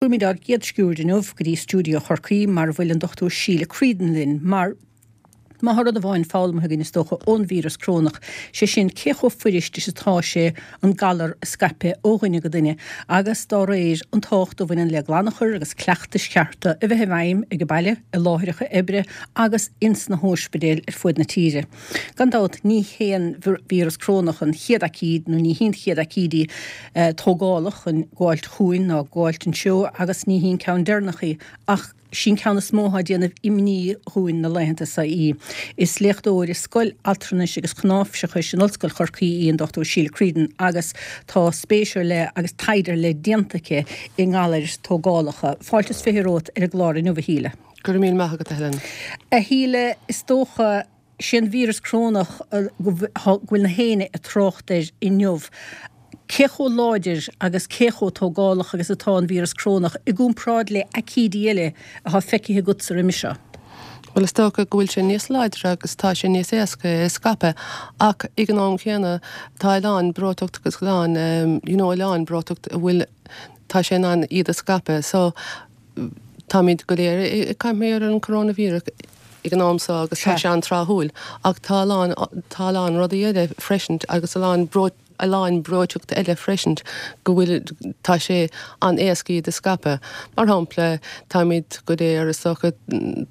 Cuirimid ár gcéad sciuird inniu go dtí stiúideo Chorcaí mar a bhfuil an Dr Síle Creedon linn mar má tá rud amháin foghlamtha againn is dócha ón víreas corónach, sé sin cé chomh fuirist is atá sé an galar a scaipeadh ó dhuine go duine agus dá réir an tábhacht a bhaineann le glanachar agus cleachtais chearta a bheith i bhfeidhm ag baile, i láithreacha oibre agus ins na hóispidéil ar fuaid na tíre. Gan dabht ní hé an víreas corónach an chéad aicíd nó ní hí an chéad aicíd í tógálach chun gabháilt chugainn ná gabháilt anseo agus ní hí an ceann deireanach í ach sí an ceann is mó atá ag déanamh imní dhúinn na laethanta seo í. Is léachtóir i Scoil Altranais agus Chnáimhseachais in Ollscoil Chorcaí í an Dr Síle Creedon agus tá spéis ar leith agus taighde ar leith déanta aici i ngalair tógálacha. Fáilte is 20 romhat ar an gclár inniu, a Shíle. Go raibh míle maith agat, a Helen. A Shíle, is dócha, sé an víreas corónach go bhfuil na héinne ag trácht air inniu. Cé chomh láidir agus cé chomh tógálach agus atá an víreas corónach i gcomparáid le aicídí eile atá feicthe agatsa roimhe seo? Bhuel, is dócha go bhfuil sé níos láidre agus tá sé níos éasca é a scaipeadh ach ag an am chéanna tá a lán breoiteacht agus a lán, you know, a lán breoiteacht a bhfuil, tá sé in ann iad a scaipeadh. So, Táimid go léir ag caint mar an coróinvíreas ag an am seo agus tá sé an-tráthúil ach tá a lán, tá a lán rudaí eile freisin agus a lán breo, a lán breoiteachta eile freisin go bhfuil, tá sé an-éasca iad a scaipeadh. Mar shampla, táimid go léir is dócha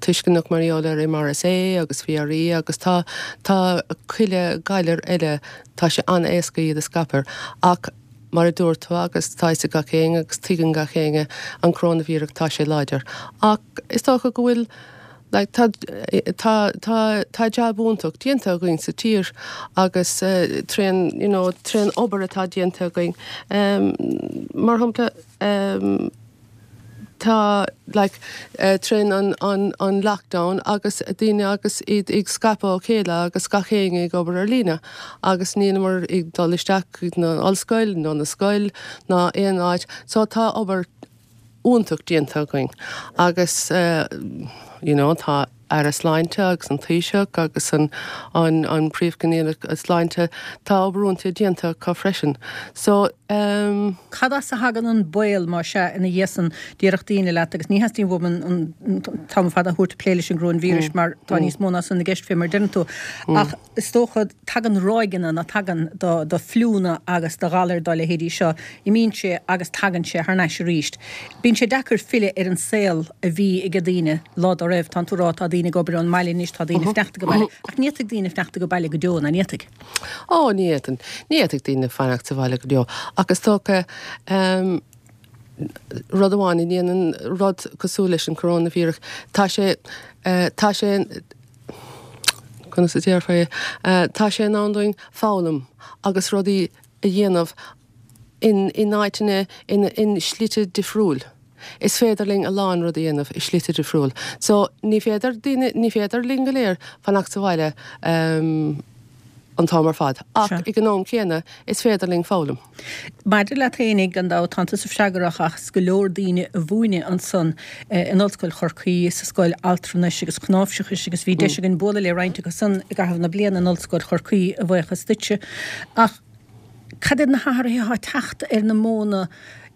tuisceanach mar gheall ar MRSA agus VRE agus tá, tá chuile galar eile, tá sé an-éasca iad a scaipeadh ach, Mar a dúirt tú, agus tá fhios ag gach éinne agus tuigeann gach éinne, an coróinvíreas, tá sé láidir. Ach is dócha go bhfuil, like, tá, tá, tá, tá jab iontach déanta againn sa tír agus trén, you know, trén obair atá déanta againn. Mar shampla, Tá, like, trén an, an, an lockdown agus daoine agus iad ag scaipeadh ó chéile agus gach éinne ag obair ar líne agus níleamar ag dul isteach chuig na ollscoil nó na scoil ná aon áit so tá obair iontach déanta againn agus you know tá Aire Sláinte agus an Taoiseach agus an an Príomhchoinníollach Sláinte, tá obair iontach déanta acu freisin. So ehm. Cad as a thagann an baol, más ea, ina dhiaidh san, déarfadh daoine leat, agus ní theastaíonn uaim an t-am ar fad a thabhairt ag plé leis an gcoróinvíreas mar tá níos mó ná san i gceist fé mar a deireann tú, ach is dócha, tagann ráigeanna, nó tagann do do fliúnna agus do ghalair dá leithéidí seo, imíonn sé agus tagann sé thar n-ais arís. Bíonn sé deacair filleadh ar an saol a bhí ag daoine lá dá raibh. Tánn tú ag rá tá daoine ag obair ón mbaile anois, tá daoine fanacht ag baile, ach ní fhéadfaidh daoine fanacht ag baile go deo, ná ní fhéadfaidh? Ó, ní fhéadann. Ní fhéadfaidh daoine fanacht sa bhaile go deo. Ach is dócha, rud amháin a dhéanann rud cosúil leis an coróinvíreas, tá sé, tá sé, conas a déarfá é, tá sé in ann dúinn foghlaim agus rudaí a dhéanamh in, in áiteanna, in, in slite difriúil. Is féidir linn a lán rud a dhéanamh i slite difriúil. So, ní féidir daoine, ní féidir linn go léir fanacht sa bhaile an t-am ar fad. Ach ag an am céanna, is féidir linn foghlaim. Maidir leat fhéinig, gan dabht, tánn tusa freagrach as go leor daoine a mhúineadh ansan in Ollscoil Chorcaí, sa Scoil Altranais agus Chnáimhseachais agus bhí deis againn bualadh le roinnt acu san i gcaitheamh na bliana in Ollscoil Chorcaí, a bhuíochas duitse. Ach cad iad na hathruithe atá ag teacht ar na modhanna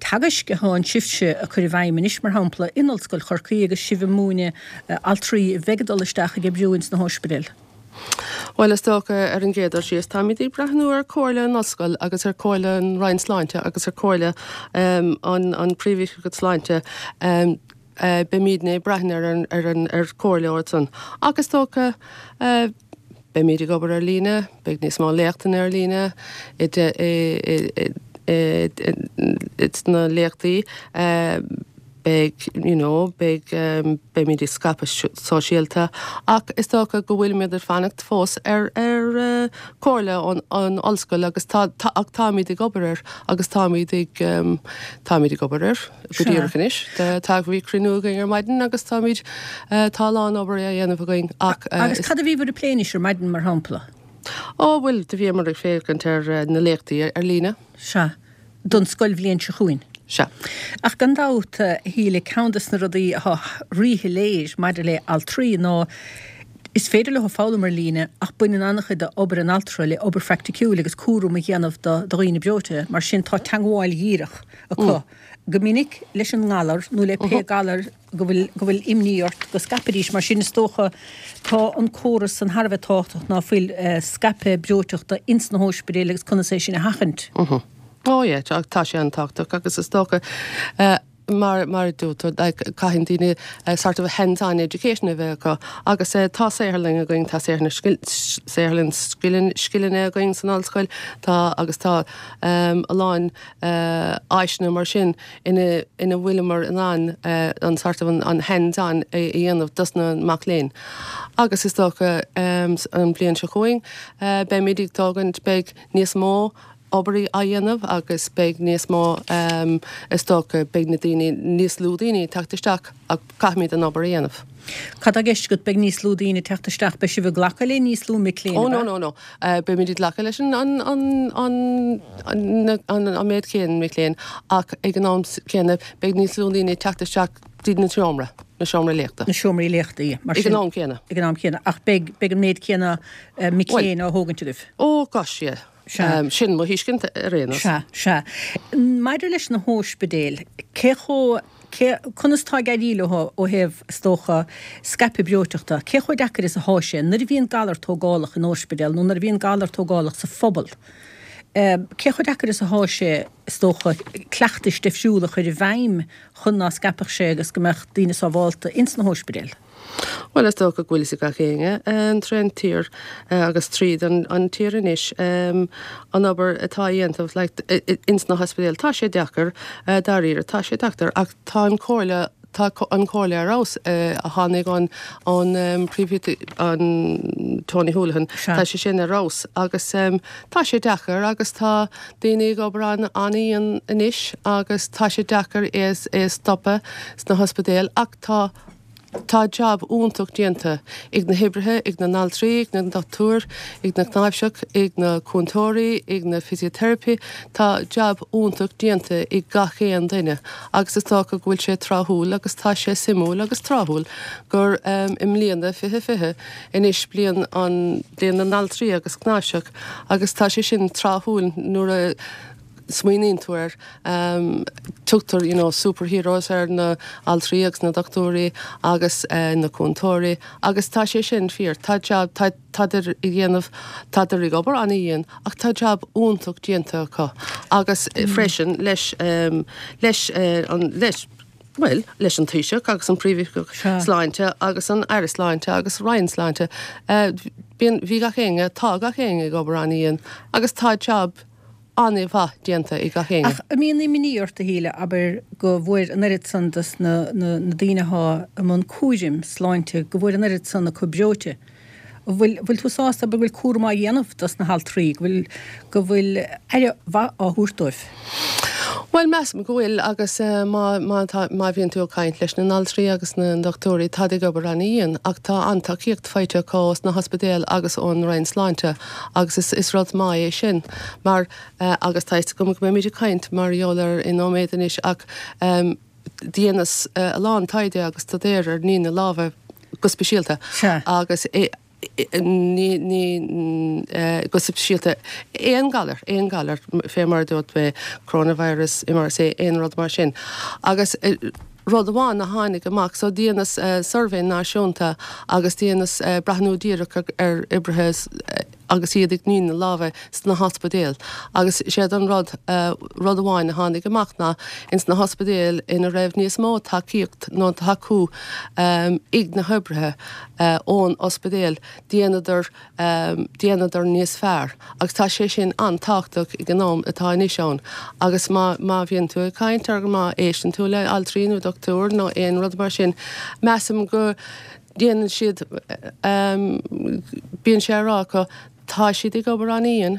teagaisc atá sibhse a cur i bhfeidhm anois, mar shampla, in Ollscoil Chorcaí agus sibh ag múineadh altraí a bheidh ag dul isteach ag oibriú ins na hóispidéil? Bhuel, is dócha, ar an gcéad dul síos, táimid ag breathnú ar chomhairle an Ollscoil agus ar chomhairle an Roinn Sláinte agus ar chomhairle an an Príomhoifigeach Sláinte. Beimidne ag breathnú ar an ar an ar chomhairle iadsan. Ach is dócha, beimid ag obair ar líne, beidh níos mó léachtanna ar líne i i i sna léachtaí. Beidh, you know, beidh, beimid ag scaipeadh sóisialta ach is dócha go bhfuilimid ag fanacht fós ar, ar comhairle ón, ón ollscoil agus tá, tá, ach táimid ag obair air agus táimid ag, táimid ag obair air go díreach anois. Tá, bhí cruinniú againn ar maidin agus táimid, tá a lán obair á dhéanamh againn ach. Agus cad a bhíobhair ag plé anois ar maidin, mar shampla? Ó, bhuel, do bhíomar ag féachaint ar na léachtaí ar líne. Sea. don scoilbhliain seo chugainn. Sea. Ach gan dabht, a Shíle, ceann des na rudaí atá ríshoiléir maidir le altraí ná is féidir leo foghlaim ar líne ach baineann an-chuid d'obair an altra le obair phraiticiúil agus cúram a dhéanamh do dhaoine breoite. Mar sin tá teagmháil dhíreach acu. go minic leis an ngalar nó le pé galar go bhfuil, go bhfuil imní ort go scaipfidís. Mar sin is dócha tá an córas san thar a bheith tábhachtach ná fuil, scaipeadh breoiteachta ins na hóispidéil agus conas é sin a sheachaint. Oh yeah, tá, tá sé an-tábhachtach agus is dócha mar, mar a dúirt tú, like, caitheann daoine sort of hands-on education a bheith acu agus tá saotharlann againn, tá saotharlann saotharlann scileanna againn san ollscoil, tá agus tá a lán áiseanna mar sin ina ina bhfuileamar in ann an sort of an hands-on a dhéanamh dos na mac léinn. Agus is dócha an bhliain seo chugainn beimid ag tógaint, beidh níos mó obair á dhéanamh agus beidh níos mó is dócha beidh na daoine, níos lú daoine ag teacht isteach ach caithfimid an obair a dhéanamh. Cad tá i gceist agat, beidh níos lú daoine ag teacht isteach, beidh sibh ag glacadh le níos lú mic léinn, ab ea? Oh no, no, no. Beimid ag glacadh leis an an an an an an méid céanna mic léinn ach ag an am céanna beidh níos lú daoine ag teacht isteach dtí na seomra, na seomraí léachta. Na seomraí léachta, yeah. Mar sin. Ag an am céanna. Ag an am céanna. Ach beidh, beidh an méid céanna mic léinn á thógaint agaibh. Oh gosh, yeah. Sea. Sin mo thuiscint ar aon nós. Sea, sea. Maidir leis na hóispidéil, cé chomh, cé, conas tá ag éirí leo ó thaobh, is dócha, scaipeadh breoiteachta? Cé chomh deacair is athá sé nuair a bhíonn galar tógálach in óispidéal nó nuair a bhíonn galar tógálach sa phobal, cé chomh deacair is athá sé, is dócha, cleachtais difriúla a chur i bhfeidhm chun ná scaipfeadh sé agus go mbeadh daoine sábhálta ins na hóispidéil? Bhuel, is dócha go bhfuil fhios ag gach éinne trén tír agus tríd an tír anois an obair atá á dhéanamh like ins na hospidéil. Tá sé deacair, dáiríre, tá sé deacair ach tá an chomhairle, tá an chomhairle ar fheabhas a tháinig ón ón príomh an Tony Holohan, tá sé sin ar fheabhas agus tá sé deacair agus tá daoine ag obair an-an-dhian anois agus tá sé deacair é é a stopadh sna hospidéil ach tá Tá jab iontach déanta ag na hoibrithe, ag na n-altraí, ag na dochtúir, ag na cnáimhseach, ag na cúntóirí, ag na physiotherapy, tá jab iontach déanta ag gach aon duine agus is dócha go bhfuil sé tráthúil agus tá sé suimiúil agus tráthúil gur i mbliana 2020 anois bliain an bliain na n-altraí agus cnáimhseach agus tá sé sin tráthúil nuair a smaoiníonn tú air, tugtar you know superheroes ar na altraí agus na dochtúirí agus na cúntóirí agus tá sé sin fíor, tá jab, tá, tádar ag déanamh, tádar ag obair an-dhian ach tá jab iontach déanta acu agus freisin leis, leis an, leis, bhuel, leis an Taoiseach agus an Príomhoifigeach Sláinte agus an Aire Sláinte agus Roinn Sláinte, bíonn, bhí gach éinne, tá gach éinne ag obair an-dhian agus tá jab, an-mhaith déanta ag gach éinne. Ach an mbíonn imní ort, a Shíle, abair, go bhfuair an oiread san dos na daoine athá i mbun cúraim sláinte, go bhfuair an oiread san acu breoite? An bhfuil, bhfuil tú sásta, abair, go bhfuil cúram á dhéanamh dos na haltraí, go bhfuil, go bhfuil aire mhaith á thabhairt dóibh? Bhuel, measaim go bhfuil agus má, má tá, má bhíonn tú ag caint leis na n-altraí agus na ndochtúirí, táid ag obair an-dhian ach tá an-tacaíocht faighte acu ós na hospidéil agus ón Roinn Sláinte. Agus is, is rud maith é sin mar, agus tá fhios agam go mbeimid ag caint mar gheall air i nóiméad anois ach dheineas a lán taighde agus staidéir ar ní na lámha go speisialta agus ní, ní, go speisialta aon galar, aon galar fé mar a dúirt mé, coronavirus, MRSA, aon rud mar sin. Agus rud amháin a tháinig amach, so dheineas suirbhé náisiúnta agus dheineas breathnú díreach ar oibrithe agus iad ag ní na lámha sna hospidéil agus séard an rud, rud amháin a tháinig amach ná ins na hospidéil ina raibh níos mó tacaíocht nó tacú ag na hoibrithe ón ospidéal, dheineadar dheineadar níos fearr agus tá sé sin an-tábhachtach ag an am atá anois ann agus má má bhíonn tú ag caint ar má éisteann tú le altraí nó dochtúir nó aon rud mar sin measaim go ndéanann siad bíonn sé á rá acu tá siad ag obair an-dhian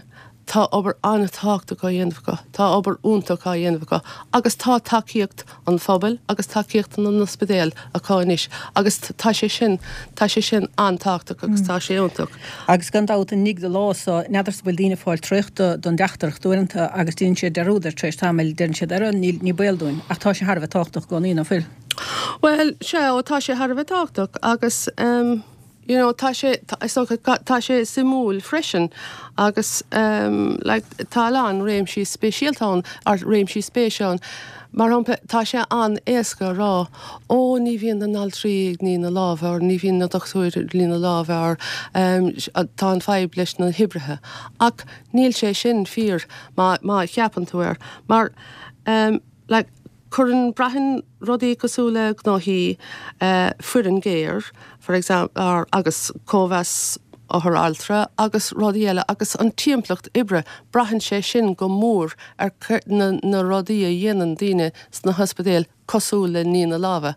tá obair an-tábhachtach á dhéanamh acu, tá obair iontach á dhéanamh acu agus tá tacaíocht an phobail agus tacaíocht na n-ospidéal acu anois agus tá sé sin, tá sé sin an-tábhachtach agus tá sé iontach. Agus gan dabht an nigh do lámha so, n'fheadarsa bhfuil daoine ag fáil traochta don dteachtaireacht uaireanta agus déanann siad dearúd air tar éis tamaill, deireann siad ara níl, ní baol dúinn. Ach tá sé thar a bheith tábhachtach i gcónaí, ná fuil? Bhuel, sea, ó tá sé thar a bheith tábhachtach agus ehm, you know tá sé, is dócha, tá sé suimiúil freisin agus ehm like tá a lán réimsí speisialta ann, or réimsí spéise ann. Mar shampla, tá sé an-éasca a rá, ó ní bhíonn na n-altraí ag ní na lámha or ní bhíonn na dochtúirí ag ní na lámha or tá an fadhb leis na hoibrithe. Ach níl sé sin fíor má má cheapann tú air. Mar like cuireann, braitheann rudaí cosúil le gnóthaí, foireann géar, for example, agus cóimheas othar altra agus rudaí eile agus an timpeallacht oibre, braitheann sé sin go mór ar na na rudaí a dhéanann daoine sna hospidéil cosúil le ní na lámha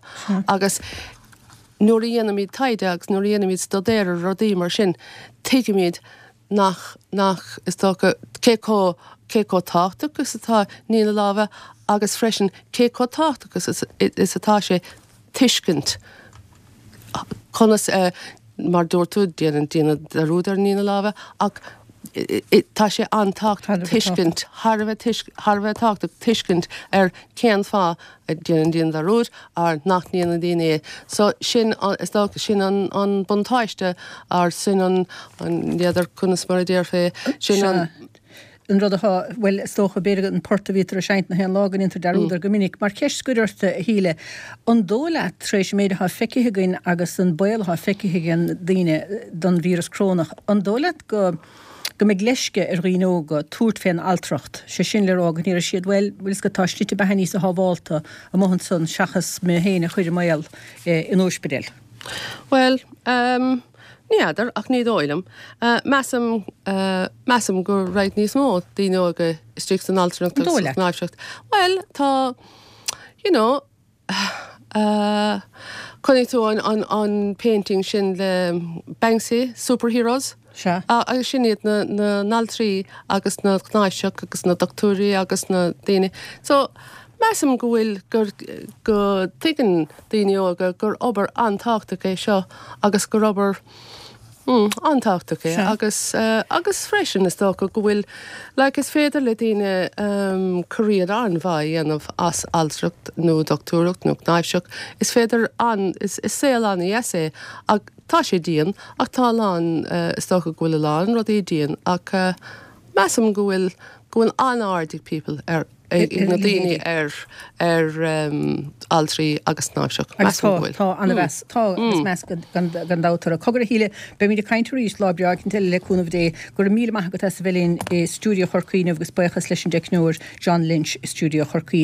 agus nuair a dhéanaimid taighde agus nuair a dhéanaimid staidéar ar rudaí mar sin tuigimid nach nach is dócha cé chomh cé chomh tábhachtach is atá ní na lámha agus freisin cé chomh tábhachtach is is atá sé tuiscint conas a, mar dúirt tú, déanann daoine dearúd ar ní na lámha ach tá sé an-tábhachtach tuiscint, thar a bheith thar a bheith tábhachtach tuiscint ar cén fáth a déanann daoine dearúd or nach ndéanann daoine é. So sin, is dócha, sin an an buntáiste or sin an, n'fheadar conas mar a déarfaí é, sin an. an rud atá, bhuel, is dócha, b'fhéidir an port a bhítear a seinnt nach aon lá go ndéantar dearúd air go minic. Mar cheist scoir ort, a Shíle, an dóigh leat, tar éis an méid atá feicthe againn agus an baol atá feicthe ag daoine don víreas corónach, an dóigh leat go go mbeidh leisce ar dhaoine óga tabhairt fén altracht, sé sin le rá go ndéarfaidh siad, bhuel, bhfuil 'fhios agat, tá slite beatha níosa shábhálta amuigh ansan seachas mé féin a chur i mbaol in ospidéal? Bhuel, ehm. Ní fheadar, ach ní dóigh liom. Measaim, measaim go raghaidh níos mó daoine óga istigh san altranacht agus sa chnáimhseacht. Bhuel, tá, you know, chonaic tú an, an, an painting sin le Banksy, Superheroes? Sea. Agus sin iad na, na n-altraí agus na cnáimhseach agus na dochtúirí agus na daoine. So, measaim go bhfuil, gur, go dtuigeann daoine óga gur obair an-tábhachtach é seo agus gur obair an-tábhachtach é agus agus freisin is dócha go bhfuil like is féidir le daoine career an-mhaith a dhéanamh as altracht nó dochtúireacht nó cnáimhseach is féidir an is is saol an-dheas é ach tá sé dian ach tá a lán is dócha go bhfuil a lán rudaí dian ach measaim go bhfuil go bhfuil an-aird ag people ar ag na daoine ar ar altraí agus cnáimhseach. Agus tá, tá an-mheas, tá agus meas gan dabht orthu. Cogar a Shíle, beimid ag caint arís lá breá éicint eile le cúnamh Dé. Go raibh míle maith agat as a bheith linn i stiúideo Chorcaí inniu agus buíochas leis an dteicneoir John Lynch i stiúideo Chorcaí.